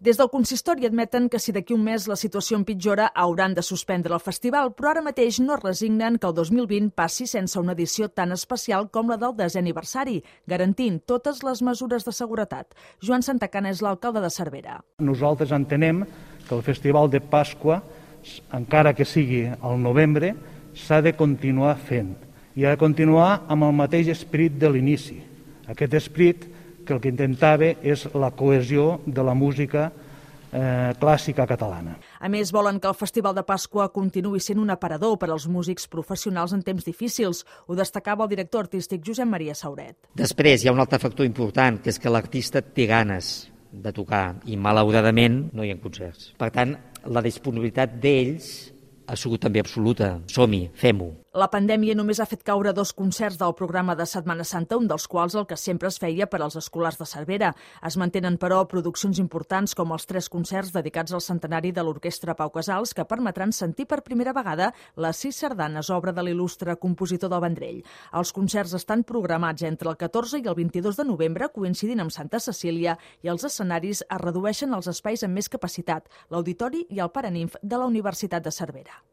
Des del consistori admeten que si d'aquí un mes la situació empitjora hauran de suspendre el festival, però ara mateix no es resignen que el 2020 passi sense una edició tan especial com la del 10è aniversari, garantint totes les mesures de seguretat. Joan Santacana és l'alcalde de Cervera. Nosaltres entenem que el Festival de Pasqua, encara que sigui al novembre, s'ha de continuar fent i ha de continuar amb el mateix esperit de l'inici. Aquest esperit que el que intentava és la cohesió de la música clàssica catalana. A més, volen que el Festival de Pasqua continuï sent un aparador per als músics professionals en temps difícils. Ho destacava el director artístic Josep Maria Sauret. Després hi ha un altre factor important, que és que l'artista té ganes de tocar i malauradament no hi ha concerts. Per tant, la disponibilitat d'ells ha sigut també absoluta. Som-hi, fem-ho. La pandèmia només ha fet caure 2 concerts del programa de Setmana Santa, un dels quals el que sempre es feia per als escolars de Cervera. Es mantenen, però, produccions importants com els 3 concerts dedicats al centenari de l'Orquestra Pau Casals, que permetran sentir per primera vegada les 6 sardanes, obra de l'il·lustre compositor del Vendrell. Els concerts estan programats entre el 14 i el 22 de novembre, coincidint amb Santa Cecília, i els escenaris es redueixen als espais amb més capacitat, l'Auditori i el Paraninf de la Universitat de Cervera.